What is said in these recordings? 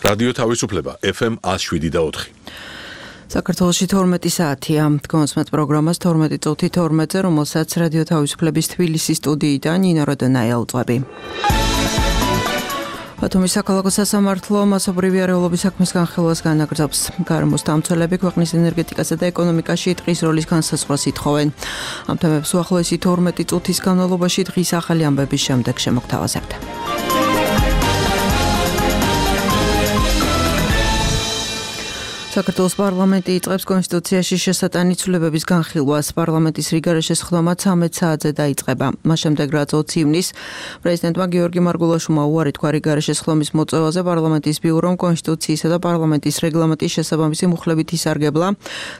რადიო თავისუფლება FM 107.4. საქართველოში 12 საათია. Დგომსმეთ პროგრამას 12 წუთი 12-ზე, რომელსაც რადიო თავისუფლების თბილისის სტუდიიდან ნინო როდონაია უძღვები. ბათუმის საქალაქო სასამართლო მასობრივი არეულობის საქმის განხილვას განაგრძობს. გარემოს დამცველები ქვეყნის ენერგეტიკასა და ეკონომიკაში ტყის როლის განსაზღვრას ითხოვენ. ამ თემებს უახლოესი 12 წუთის განმავლობაში დღის ახალი ამბების შემდეგ შემოგთავაზებთ. საქართველოს პარლამენტი იწყებს კონსტიტუციაში შესატანი ცვლილებების განხილვას. პარლამენტის რიგარეშე სხდომა 13 საათზე დაიწყება. მას შემდეგ, რაც 20 ივნისს პრეზიდენტმა გიორგი მარგულაშვილმა უარი თქვა რიგარეშე სხდომის მოწევაზე, პარლამენტის ბიურომ კონსტიტუციისა და პარლამენტის რეგლამენტის შესაბამისი მუხლებით ისარგებლა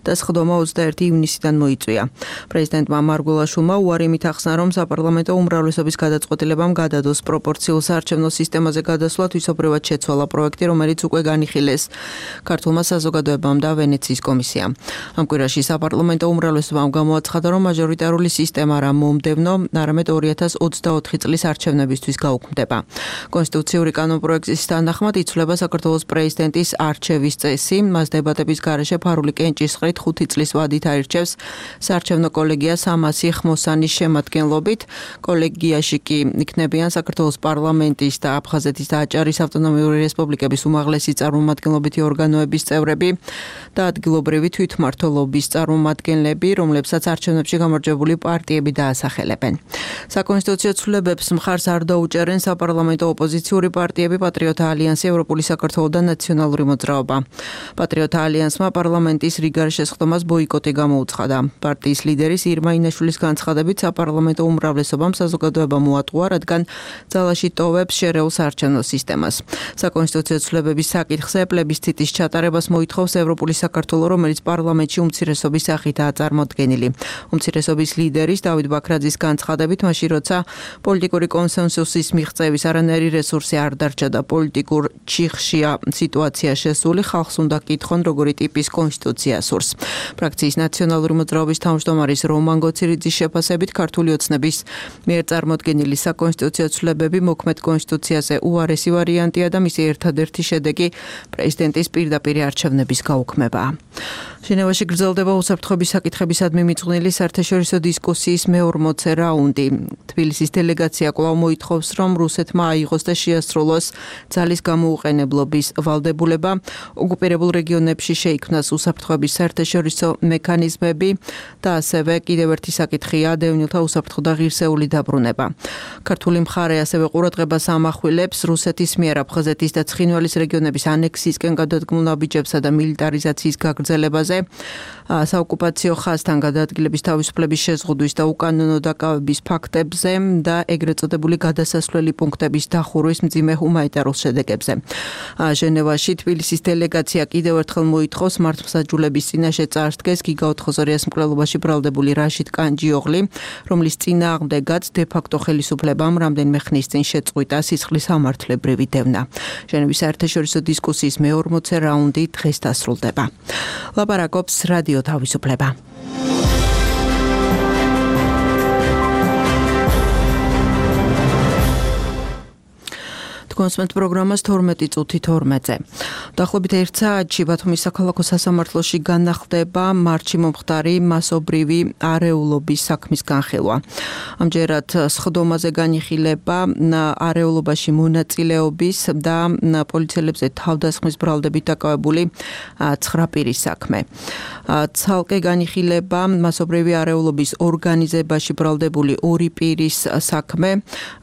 და სხდომა 21 ივნისიდან მოიწვია. პრეზიდენტმა მარგულაშვილმა უარი იმით ახსნა, რომ საპარლამენტო უმრავლესობის გადაწყვეტილებამ გადადოს პროპორციულ საარჩევნო სისტემაზე გადასვლა თვისობრივად შეცვალა პროექტი, რომელიც უკვე განიხილეს ქართულმა საზოგადოებამ და ვენეციის კომისიამ. ამ კვირაში საპარლამენტო უმრავლესობამ გამოაცხადა, რომ მაჟორიტარული სისტემა რა მომდევნო, არამედ 2024 წლის არჩევნებისთვის გაუქმდება. კონსტიტუციური კანონპროექტის თანახმად იცვლება საქართველოს პრეზიდენტის არჩევის წესი. მას დებატების გარეშე ფარული კენჭისყრით 5 წლის ვადით აირჩევს საარჩევნო კოლეგია 300 ხმოსანის შემადგენლობით. კოლეგიაში კი იქნებიან საქართველოს პარლამენტის და აფხაზეთის და აჭარის ავტონომიური რესპუბლიკების უმაღლესი წარმომადგენლობითი ორგანოების წევრები და ადგილობრივი თვითმმართველობის წარმომადგენლები, რომლებსაც არჩევნებში გამარჯვებული პარტიები დაასახელებენ. საკონსტიტუციო ცვლილებებს მხარს არ დაუჭერენ საპარლამენტო ოპოზიციური პარტიები, პატრიოტთა ალიანსი, ევროპული საქართველო და ნაციონალური მოძრაობა. პატრიოტთა ალიანსმა პარლამენტის რიგარეშე სხდომას ბოიკოტი გამოუცხადა. პარტიის ლიდერის ირმა ინაშვილის განცხადებით, საპარლამენტო უმრავლესობამ საზოგადოება მოატყუა, რადგან ძალაში ტოვებს შერეულ საარჩევნო სისტემას. საკონსტიტუციო ცვლილებების საკითხზე პლებისციტის ჩატარებას მოითხოვს ევროპული საქართველო, რომელიც პარლამენტში უმცირესობის სახითაა წარმოდგენილი. უმცირესობის ლიდერის დავით ბაქრაძის განცხადებით, მაშინ როცა პოლიტიკური კონსენსუსის მიღწევის არანაირი რესურსი არ დარჩა და პოლიტიკურ ჩიხშია სიტუაცია შესული, ხალხს უნდა კითხონ, როგორი ტიპის კონსტიტუცია სურს. ფრაქციის ნაციონალური მოძრაობის თავმჯდომარის რომან გოცირიძის შეფასებით, ქართული ოცნების მიერ წარმოდგენილი საკონსტიტუციო ცვლილებები მოქმედ კონსტიტუციაზე უარესი ვარიანტია და მისი ერთადერთი შედეგი პრეზიდენტის პირდაპირ არჩევნების გაუქმება. ჟენევაში გრძელდება უსაფრთხოების საკითხებისადმი მიძღვნილი საერთაშორისო დისკუსიის მე-40 რაუნდი. თბილისის დელეგაცია კვლავ მოითხოვს, რომ რუსეთმა აიღოს და შეასრულოს ძალის გამოუყენებლობის ვალდებულება, ოკუპირებულ რეგიონებში შეიქმნას უსაფრთხოების საერთაშორისო მექანიზმები და ასევე კიდევ ერთი საკითხია დევნილთა უსაფრთხო და ღირსეული დაბრუნება. ქართული მხარე ასევე ყურადღებას ამახვილებს რუსეთის მიერ აფხაზეთის და ცხინვალის რეგიონების ანექსიისკენ გადადგმულ ნაბიჯებსა და მილიტარიზაციის გაგრძელებაზე, საოკუპაციო ხაზთან გადაადგილების თავისუფლების შეზღუდვის და უკანონო დაკავების ფაქტებზე და ეგრეთ წოდებული გადასასვლელი პუნქტების დახურვის მძიმე ჰუმანიტარულ შედეგებზე. ჟენევაში თბილისის დელეგაცია კიდევ ერთხელ მოითხოვს მართლმსაჯულების წინაშე წარსდგეს გიგა ოთხოზორიას მკვლელობაში ბრალდებული რაშიდ კანჯიოღლი, რომლის წინააღმდეგაც დე-ფაქტო ხელისუფლებამ რამდენიმე ხნის წინ შეწყვიტა სისხლის სამართლებრივი დევნა. ჟენევის საერთაშორისო დისკუსიის მე-40 რაუნდი დღეს დასრულდება. ლაპარაკობს რადიო თავისუფლება. კონსმეთ პროგრამას 12 წუთი 12-ზე. დაახლოებით 1 საათში ბათუმის საქალაქო სასამართლოში განახლდება მარტში მომხდარი მასობრივი არეულობის საქმის განხილვა. ამჯერად სხდომაზე განიხილება არეულობაში მონაწილეობის და პოლიციელებზე თავდასხმის ბრალდებით დაკავებული 9 პირის საქმე. ცალკე განიხილება მასობრივი არეულობის ორგანიზებაში ბრალდებული 2 პირის საქმე,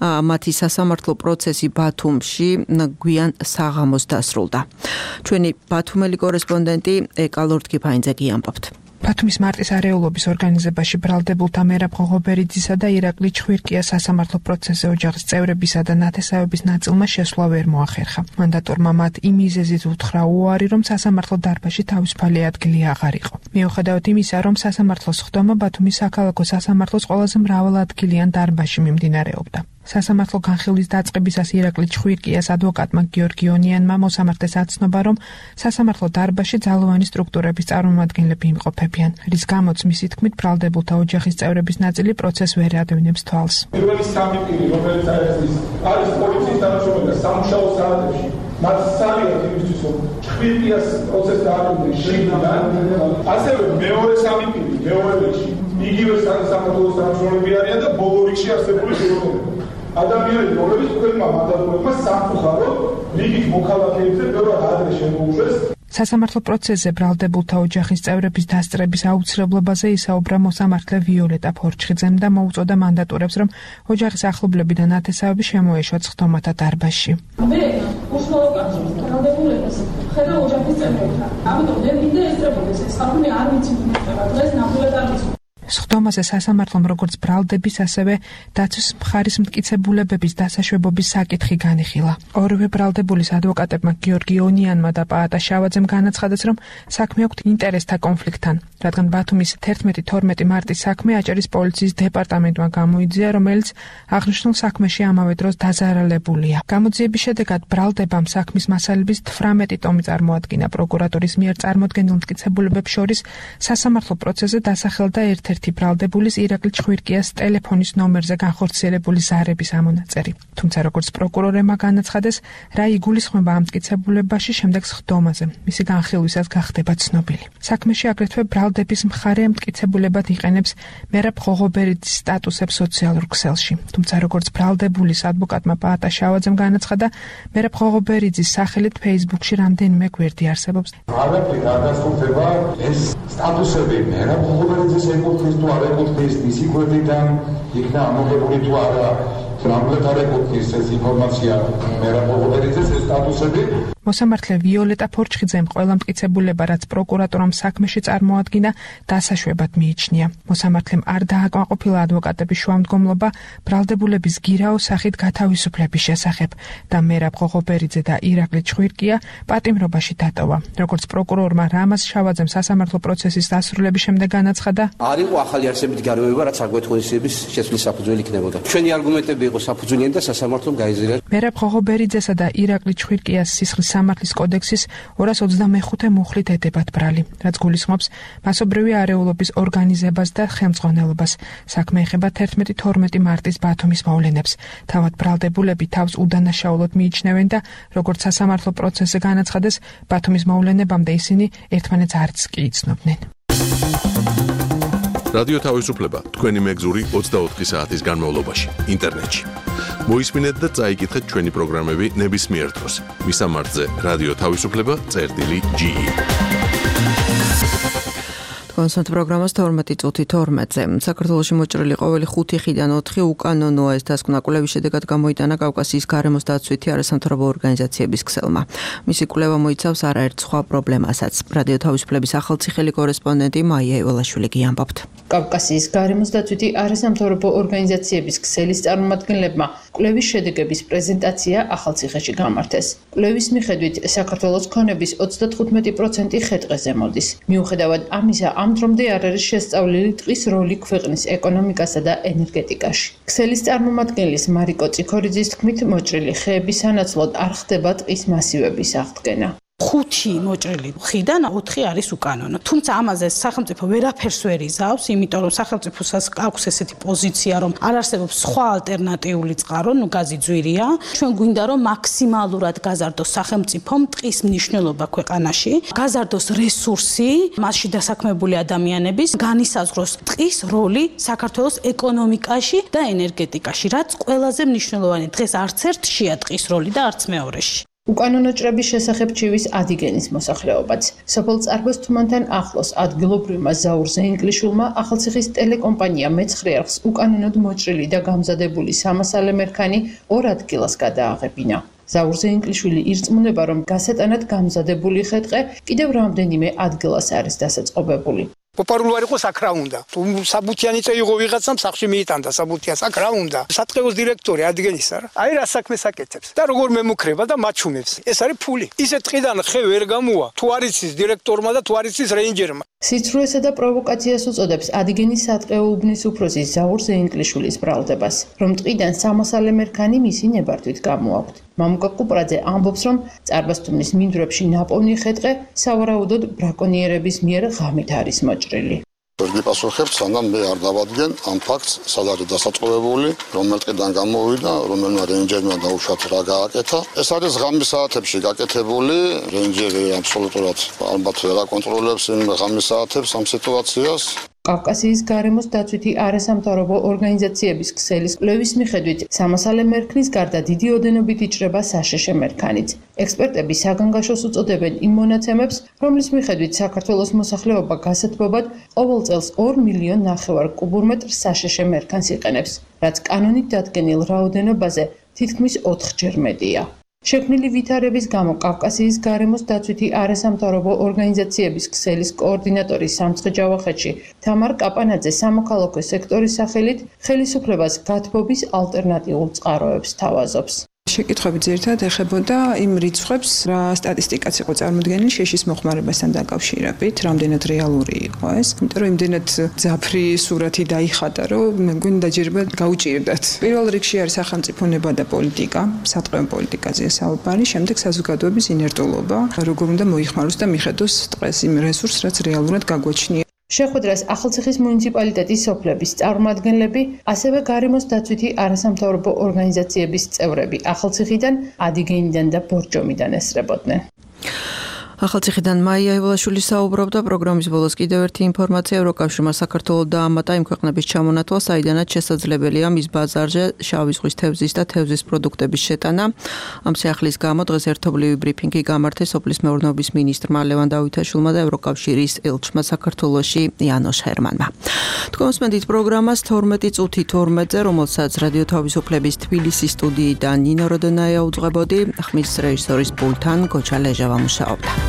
მათი სასამართლო პროცესი ბათუმში გვიან საღამოს დასრულდა. ჩვენი ბათუმელი კორესპონდენტი ეკა ლორდკიფაინძე გიამბობთ. ბათუმის მარტის არეულობის ორგანიზებაში ბრალდებულთა მერაბ ღოღობერიძისა და ირაკლი ჩხვირკიას სასამართლო პროცესზე ოჯახის წევრებისა და ნათესავების ნაწილმა შესვლა ვერ მოახერხა. მანდატორმა მათ იმ მიზეზით უთხრა უარი, რომ სასამართლო დარბაზში თავისუფალი ადგილი აღარ იყო. მიუხედავად იმისა, რომ სასამართლოს სხდომა ბათუმის საქალაქო სასამართლოს ყველაზე მრავალადგილიან დარბაზში მიმდინარეობდა. სასამართლო განხილვის დაწყებისას ირაკლი ჩხვირკიას ადვოკატმა გიორგი ონიანმა მოსამართლეს აცნობა, რომ სასამართლო დარბაზში ძალოვანი სტრუქტურების წარმომადგენლები იმყოფებიან, რის გამოც მისი თქმით ბრალდებულთა ოჯახის წევრების ნაწილი პროცესს ვერ ადევნებს თვალს. პირველი სამი პირი, რომელიც არის პოლიციის თანამშრომელი სამუშაო საათებში მათ ძალიან იმისთვის რომ ჭვირკიას პროცესს დააკვირდეს შიგნიდან, ასევე მეორე სამი პირი, მეორე რიგში იგივე საქართველოს თანამშრომლები არიან და ბოლო რიგში არსებული პიროვნებები. ადამიანები, რომლებიც თქვენმა მანდატურებმა სამწუხაროდ რიგით მოქალაქეებზე ბევრად ადრე შემოუშვეს. სასამართლო პროცესზე ბრალდებულთა ოჯახის წევრების დასწრების აუცილებლობაზე ისაუბრა მოსამართლე ვიოლეტა ფორჩხიძემ და მოუწოდა მანდატურებს, რომ ოჯახის ახლობლები და ნათესავები შემოეშვათ სხდომათა დარბაზში. მე უშუალო კავშირს ბრალდებულებას ხედა ოჯახის წევრებთან. ამიტომ მე მინდა ესწრებოდეს ეს ხალხი არ ვიცი დღეს ნამდვილად არ ვიცი. სხდომაზე სასამართლომ როგორც ბრალდების, ასევე დაცვის მხარის მტკიცებულებების დასაშვებობის საკითხი განიხილა. ორივე ბრალდებულის ადვოკატებმა გიორგი ონიანმა და პაატა შავაძემ განაცხადეს, რომ საქმე აქვთ ინტერესთა კონფლიქტთან, რადგან ბათუმის 11-12 მარტის საქმე აჭარის პოლიციის დეპარტამენტმა გამოიძია, რომელიც აღნიშნულ საქმეში ამავე დროს დაზარალებულია. გამოძიების შედეგად ბრალდებამ საქმის მასალების 18 ტომი წარმოადგინა. პროკურატურის მიერ წარმოდგენილ მტკიცებულებებს შორის სასამართლო პროცესზე დასახელდა ერთ-ერთი ბრალდებულის ირაკლი ჭვირკიას ტელეფონის ნომერზე განხორციელებული ზარების ამონაწერი. თუმცა როგორც პროკურორებმა განაცხადეს, რა იგულისხმება ამ მტკიცებულებაში შემდეგ სხდომაზე, მისი განხილვისას გახდება ცნობილი. საქმეში აგრეთვე ბრალდების მხარე მტკიცებულებად იყენებს მერაბ ღოღობერიძის სტატუსებს სოციალურ ქსელში. თუმცა როგორც ბრალდებულის ადვოკატმა პაატა შავაძემ განაცხადა, მერაბ ღოღობერიძის სახელით Facebook-ში რამდენიმე გვერდი არსებობს. არაფერი არ დასრულდება ეს სტატუსები მერაბ ღოღობერიძის ეკუთვნის თუ არ ეკუთვნის, მისი გვერდიდან იქნა ამოღებული თუ არა, ნამდვილად არ ეკუთვნის ეს ინფორმაცია მერაბ ღოღობერიძეს ეს სტატუსები. მოსამართლე ვიოლეტა ფორჩხიძემ ყველა მტკიცებულება, რაც პროკურატურამ საქმეში წარმოადგინა, დასაშვებად მიიჩნია. მოსამართლემ არ დააკმაყოფილა ადვოკატების შუამდგომლობა ბრალდებულების გირაოს სახით გათავისუფლების შესახებ და მერაბ ღოღობერიძე და ირაკლი ჭვირკია პატიმრობაში დატოვა. როგორც პროკურორმა რამაზ შავაძემ სასამართლო პროცესის დასრულების შემდეგ განაცხადა, არ იყო ახალი არსებითი გარემოება, რაც საგვეთხოვისების შეცვლის საფუძველი იქნებოდა. ჩვენი არგუმენტები იყო საფუძვლიანი და სასამართლომ გაიზრდა. მერაბ ღოღობერიძესა და ირაკლი ჭვირკიას სისხლის სამართლის კოდექსის 225 მუხლით ედებათ ბრალი, რაც გულისხმობს მასობრივი არეულობის ორგანიზებას და ხელმძღვანელობას. საქმე ეხება 11-12 მარტის ბათუმის მოვლენებს. თავად ბრალდებულები თავს უდანაშაულოდ მიიჩნევენ და როგორც სასამართლო პროცესზე განაცხადეს, ბათუმის მოვლენებამდე ისინი ერთმანეთს არც კი იცნობდნენ. რადიო თავისუფლება თქვენი მეგზური 24 საათის განმავლობაში ინტერნეტში. მოისმინეთ და წაიკითხეთ ჩვენი პროგრამები ნებისმიერ დროს. მისამართზე რადიო თავისუფლება.ge. კონსერტ პროგრამას 12:12-ზე. საქართველოში მოჭრილი ყოველი 5 ხიდან 4 უკანონოა ეს დასკვნა კვლევის შედეგად გამოიტანა კავკასიის გარემოს დაცვითი არასამთავრობო ორგანიზაციების ქსელმა. მისი კვლევა მოიცავს არაერთ სხვა პრობლემასაც. რადიო თავისუფლების ახალციხელი კორესპონდენტი მაია ივალაშვილი გიამბობთ. კავკასიის გარემოს დაცვითი არასამთავრობო ორგანიზაციების ქსელის წარმომადგენლებმა კვლევის შედეგების პრეზენტაცია ახალციხეში გამართეს. კვლევის მიხედვით საქართველოს ქონების 35% ხე-ტყეზე მოდის. მიუხედავად ამისა, ამ დრომდე არ არის შესწავლილი ტყის როლი ქვეყნის ეკონომიკასა და ენერგეტიკაში. ქსელის წარმომადგენლის მარიკო წიქორიძის თქმით, მოჭრილი ხეების სანაცვლოდ არ ხდება ტყის მასივების აღდგენა. 5 მოჭრილი ხიდან 4 არის უკანონო. თუმცა ამაზე სახელმწიფო ვერაფერს ვერ იზავს, იმიტომ რომ სახელმწიფოსაც აქვს ესეთი პოზიცია, რომ არ არსებობს სხვა ალტერნატიული წყარო, გაზი ძვირია. ჩვენ გვინდა რომ მაქსიმალურად გაზარდოს სახელმწიფომ ტყის მნიშვნელობა ქვეყანაში, გაზარდოს რესურსი, მასში დასაქმებული ადამიანების, განისაზღვროს ტყის როლი საქართველოს ეკონომიკაში და ენერგეტიკაში, რაც ყველაზე მნიშვნელოვანი. დღეს არც ერთშია ტყის როლი და არც მეორეში. უკანონო ჭრების შესახებ ჩივის ადიგენის მოსახლეობაც. სოფელ წარბოს თუმანთან ახლოს ადგილობრივმა ზაურზე ინგლიშულმა ახალციხის ტელეკომპანია მეცხრე არხს უკანონოდ მოჭრილი და გამზადებული 300 მერქანი 2 ადგილას გადააღებინა. ზაურზე ინგლიშვილი ირწმუნება, რომ გასატანად გამზადებული ხე-ტყე კიდევ რამდენიმე ადგილას არის დასაწყობებული. პოპულარული იყო აქ რა უნდა. თუ საბუთიანი წეიღო ვიღაცამ სახში მიიტანდა საბუთიანს აქ რა უნდა. სატყეოს დირექტორი ადგენის არა. აი რა საქმეს აკეთებს და როგორ მემუქრება და მაჩვენებს. ეს არის ფული. ისე ტყიდან ხე ვერ გამოვა. თუ არ იცის დირექტორმა და თუ არ იცის რეინჯერმა. სიცრუესა და პროვოკაციას უწოდებს ადგენის სატყეო უბნის უფროსი ზაურზე ინგლიშვილის ბრალდებას, რომ ტყიდან 300 მერქანი მისი ნებართვით გამოაქვთ. მამუკა კუპრაძე ამბობს, რომ წარბასთუმნის მინდვრებში ნაპოვნი ხე-ტყე სავარაუდოდ ბრაკონიერების მიერ ღამით არის მოჭრილი. ვერ გიპასუხებ, სანამ მე არ დავადგენ ამ ფაქტს, სად არის დასაწყობებული, რომელ ტყიდან გამოვიდა, რომელმა რეინჯერმა დაუშვათ რა გააკეთა. ეს არის ღამის საათებში გაკეთებული, რეინჯერი აბსოლუტურად ალბათ ვერ აკონტროლებს იმ ღამის საათებს ამ სიტუაციას. კავკასიის გარემოს დაცვითი არასამთავრობო ორგანიზაციების ქსელის კვლევის მიხედვით, სამასალე მერქნის გარდა დიდი ოდენობით იჭრება საშეშე მერქანიც. ექსპერტები საგანგაშოს უწოდებენ იმ მონაცემებს, რომლის მიხედვით საქართველოს მოსახლეობა გასათბობად ყოველ წელს 2,5 მილიონ კუბურმეტრ საშეშე მერქანს იყენებს, რაც კანონით დადგენილ რაოდენობაზე თითქმის 4-ჯერ მეტია. შექმნილი ვითარების გამო კავკასიის გარემოს დაცვითი არასამთავრობო ორგანიზაციების ქსელის კოორდინატორი სამცხე ჯავახეთში თამარ კაპანაძე სამოქალაქო სექტორის სახელით ხელისუფლებას გათბობის ალტერნატიულ წყაროებს თავაზობს. შეკითხვები ძირითადად ეხებოდა იმ რიცხვებს, რა სტატისტიკაც იყო წარმოდგენილი შეშის მოხმარებასთან დაკავშირებით, რამდენად რეალური იყო ეს. იმიტომ რომ იმდენად ძაფრი სურათი დაიხატა, რომ მე მგონი დაჯერება გაუჭირდათ. პირველ რიგში არის სახელმწიფო ნება და პოლიტიკა, სატყეო პოლიტიკაზეა საუბარი, შემდეგ საზოგადოების ინერტულობა, როგორ უნდა მოიხმაროს და მიხედოს ტყეს იმ რესურსს, რაც რეალურად გაგვაჩნია. შეხვედრას ახალციხის მუნიციპალიტეტის სოფლების წარმომადგენლები, ასევე გარემოს დაცვითი არასამთავრობო ორგანიზაციების წევრები ახალციხიდან, ადიგენიდან და ბორჯომიდან ესწრებოდნენ. ახალციხიდან მაია ევლაშვილი საუბრობდა. პროგრამის ბოლოს კიდევ ერთი ინფორმაცია, ევროკავშირმა საქართველოს დაამატა იმ ქვეყნების ჩამონათვალ, საიდანაც შესაძლებელია მის ბაზარზე შავი ზღვის თევზის და თევზის პროდუქტების შეტანა. ამ სიახლის გამო დღეს ერთობლივი ბრიფინგი გამართეს სოფლის მეურნეობის მინისტრმა ლევან დავითაშვილმა და ევროკავშირის ელჩმა საქართველოში იანოშ ჰერმანმა. თქვენ მოსმენთ პროგრამას 12 წუთი 12-ზე, რომელსაც რადიო თავისუფლების თბილისის სტუდიიდან ნინო როდონაია უძღვებოდი, ხმის რეჟისორის პულტთან გოჩა ლეჟავა მუშაობდა.